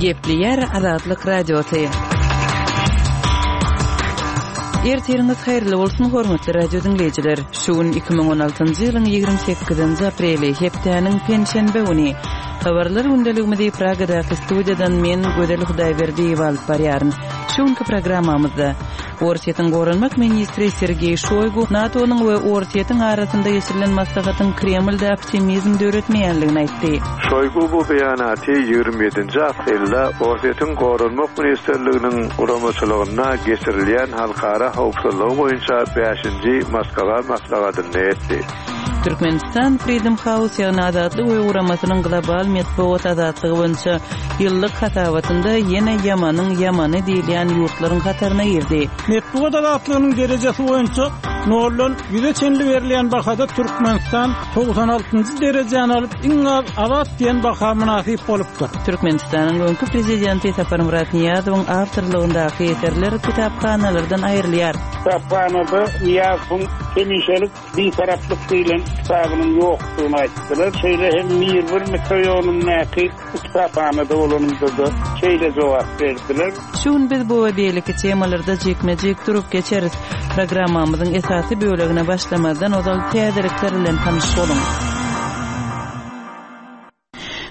Gepleýär Azatlyk Radiosy. Ertiriňiz haýyrly bolsun, hormatly radio diňleýjiler. Şu gün 2016-njy ýylyň 28-nji apreli, hepdäniň penşenbe güni. Habarlar gündeligimizi Pragadaky studiýadan men Gözel Hudaýberdiýewa alyp barýaryn. Şu günki programmamyzda Orsýetiň goranmak ministri Sergeý Şoýgu NATO-nyň we Orsýetiň arasynda geçirilen maslahatyň Kremlde optimizm döretmeýänligini aýtdy. Şoýgu bu beýanaty 27-nji aprelde Orsýetiň Goranmak ministrliginiň guramaçylygynda geçirilýän halkara howpsuzlygy boýunça bäşinji Moskwa maslahatynda etdi. Türkmenistan Freedom House, ýagny Azatlyk öýi guramasynyň global metbugat azatlygy boýunça ýyllyk hasabatynda ýene ýamanyň ýamany diýilýän ýurtlaryň hataryna girdi. Metbugat azatlygynyň derejesi boýunça noldan ýüze çenli berilýän bahada Türkmenistan 96-njy derejäni alyp, iň az azat diýen baha mynasyp bolupdyr. Türkmenistanyň öňki prezidenti Saparmyrat Nyýazowyň awtorlygyndaky eserler kitaphanalardan aýrylýar. Kitaphanada Nyýazowyň hemişelik Bitaraplyk diýlen kitabynyň ýokdugyny aýtdylar. Şeýle hem Mirbir mikroýonyndaky kitaphanada bolanymda-da şeýle jogap berdiler. Şu gün biz bu we beýleki temalarda jikme-jik durup geçeris. Programmamyzyň esasy bölegine başlamazdan ozal täzelikler bilen tanyş boluň.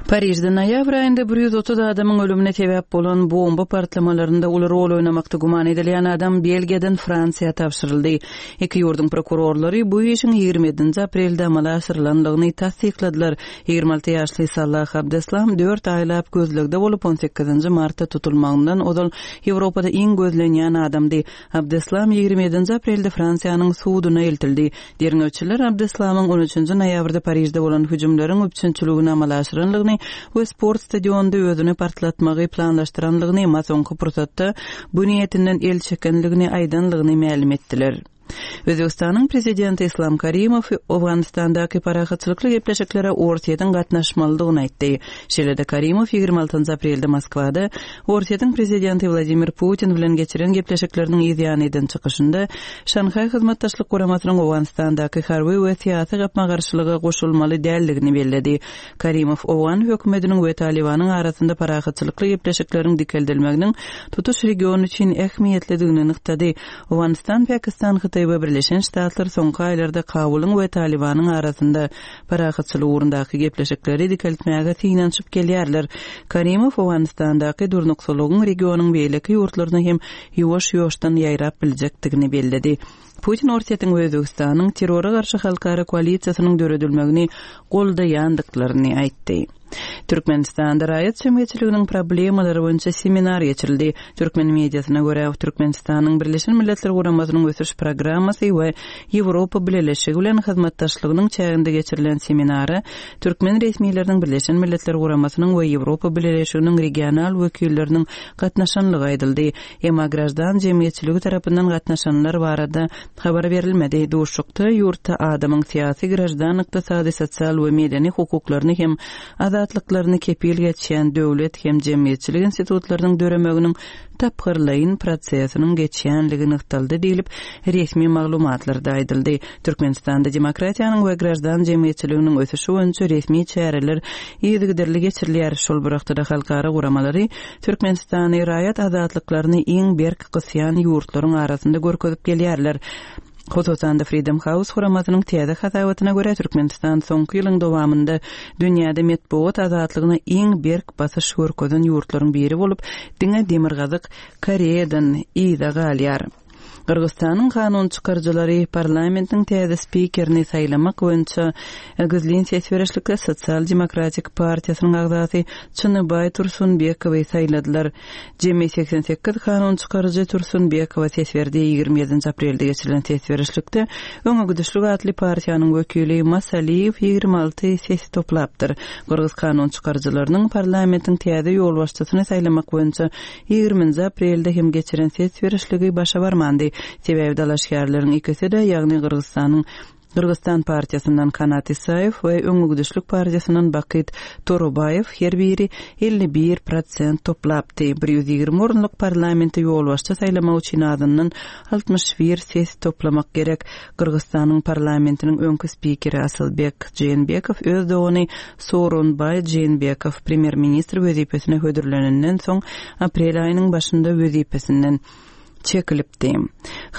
Parižde noýabr aýynda 130 adamyň ölümine sebäp bolan bomba partlamalarynda uly rol oýnamakda güman edilýän adam Belgiýadan Fransiýa tabşyryldy. Iki ýurduň prokurorlary bu işiň 27-nji aprelde amala aşyrylandygyny tassykladylar. 26 ýaşly Salah Abdeslam dört aýlap gözlegde bolup, 18-nji martda tutulmagyndan ozal Ýewropada iň gözlenýän adamdy. Abdeslam 27-nji aprelde Fransiýanyň suduna eltildi. Derňewçiler Abdeslamyň on üçünji noýabrda Parižde bolan hüjümleriň üpjünçiligini amala aşyranlygyny we sport stadionynda özüni partlatmagy planlaşdyranlygyny, emma soňky pursatda bu niýetinden el çekenligini aýdanlygyny mälim etdiler. Özbegistanyň prezidenti Islam Karimow Owganystandaky parahatçylykly gepleşiklere Orsýetiň gatnaşmalydygyny aýtdy. Şeýle-de Karimow 26 aprelde Moskwada Orsýetiň prezidenti Wladimir Putin bilen geçiren gepleşikleriniň yz ýany eden çykyşynda Şanhaý Hyzmatdaşlyk Guramasynyň Owganystandaky harby we syýasy gapma-garşylyga goşulmaly däldigini belledi. Karimow owgan hökümetiniň we Talybanyň arasynda parahatçylykly gepleşikleriň dikeldilmeginiň tutuş region üçin ähmiýetlidigini nygtady. Owganystan, Pakistan, Hytaý we Birleşen Ştatlar soňky aýlarda Kabulyň we Talybanyň arasynda parahatçylyk ugrundaky gepleşikleri dikeltmäge synanyşyp gelýärler. Karimow Owganystandaky durnuksyzlygyň regionyň beýleki ýurtlaryna hem ýuwaş-ýuwaşdan ýaýrap biljekdigini belledi. Putin Orsýetiň we Özbegistanyň terrora garşy halkara koalisiýasynyň döredilmegini goldaýandyklaryny aýtdy. Türkmenistanda raýat jemgyýetçiliginiň problemalary boýunça seminar geçirildi. Türkmen mediasyna görä, Türkmenistanyň Birleşen Milletler Guramasynyň Ösüş Programmasy we Ýewropa Bileleşigi bilen hyzmatdaşlygynyň çäginde geçirilen seminara türkmen resmileriniň Birleşen Milletler Guramasynyň we Ýewropa Bileleşiginiň regional wekilleriniň gatnaşanlygy aýdyldy. Emma graždan jemgyýetçiligi tarapyndan gatnaşanlar barada habar berilmedi. Duşuşykda ýurtda adamyň syýasy, graždan, ykdysady, sosial we medeni hukuklaryny hem azatlyklaryny kepil geçýän döwlet hem jemgyýetçilik institutlarynyň döremeginiň tapgyrlaýyn prosesiniň geçýänligi nygtaldy diýlip, resmi maglumatlarda aýdyldy. Türkmenistanda demokratiýanyň we graždan jemgyýetçiliginiň ösüşi boýunça resmi çäreler yzygiderli geçirilýär. Şol bir wagtda-da halkara guramalary Türkmenistany raýat azatlyklaryny iň berk gysýan ýurtlaryň arasynda görkezip gelýärler. Hususan-da, Freedom House guramasynyň täze hasabatyna görä, Türkmenistan soňky ýylyň dowamynda dünýäde metbugat azatlygyna iň berk basyş görkezen ýurtlaryň biri bolup, diňe Demirgazyk Koreýadan yza galýar. Gyrgyzystanyň kanun çykaryjylary parlamentiň täze spikerini saýlamak boýunça gizlin ses berişlikde Sosial demokratik partiýasynyň agzasy Çynybaý Tursunbekowy saýladylar. Jemi 88 kanun çykaryjy Tursunbekowa ses berdi. 27 aprelde geçirilen ses berişlikde Öňe gidişlik atly partiýanyň wekili Masaliýew 26 ses toplapdyr. Gyrgyz kanun çykaryjylarynyň parlamentiň täze ýolbaşçysyny saýlamak boýunça Ýigriminji aprelde hem geçiren ses berişligi başa barmandy. Sebäbi dalaşgärleriň ikisi-de, ýagny Gyrgyzystanyň. Gyrgyzstan partiýasyndan Kanat Isaýew we Öňegidişlik partiýasyndan Bakyt Torobaýew her biri 51 prosent toplapdy. 120 orunlyk parlamente ýolbaşçy saýlamak üçin azyndan 61 ses toplamak gerek. Gyrgyzstanyň parlamentiniň öňki spikeri Asylbek Jeenbekow öz dogany Sooronbaý Jeenbekow premýer-ministr wezipesine hödürlenenden soň aprel aýynyň başynda wezipesinden çekilipdi.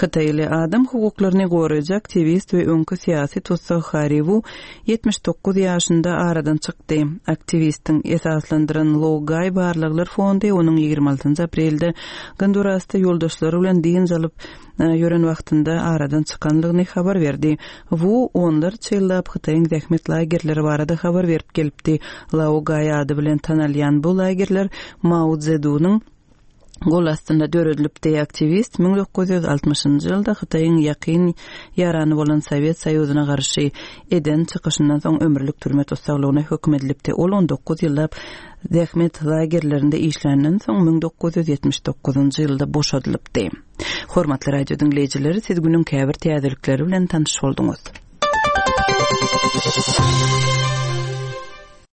Hytaýly adam hukuklaryny goraýjy aktiwist we öňki syýasy tussag Harri Wu 79 ýaşynda aradan çykdy. Aktiwistiň esaslandyran Laogai barlaglar fondy onuň 26 aprelde Gondurasda ýoldaşlary bilen dynç alyp ýören wagtynda aradan çykandygyny habar berdi. Wu onlarça ýyllap Hytaýyň zähmet lagerleri barada habar berip gelipdi. Laogai ady bilen tanalýan bu lagerler Mao Szedunyň gol astynda döredilipdi. Aktiwist 1960-njy ýylda Hytaýyň ýakyn ýarany bolan Sowet Soýuzyna garşy eden çykyşyndan soň ömürlik türme tussaglygyna höküm edilipdi. Ol 19 ýyllap zähmet lagerlerinde işländen soň 1979-njy ýylda boşadylypdy. Hormatly radio diňleýjiler, siz günüň käbir täzelikleri bilen tanyş bolduňyz.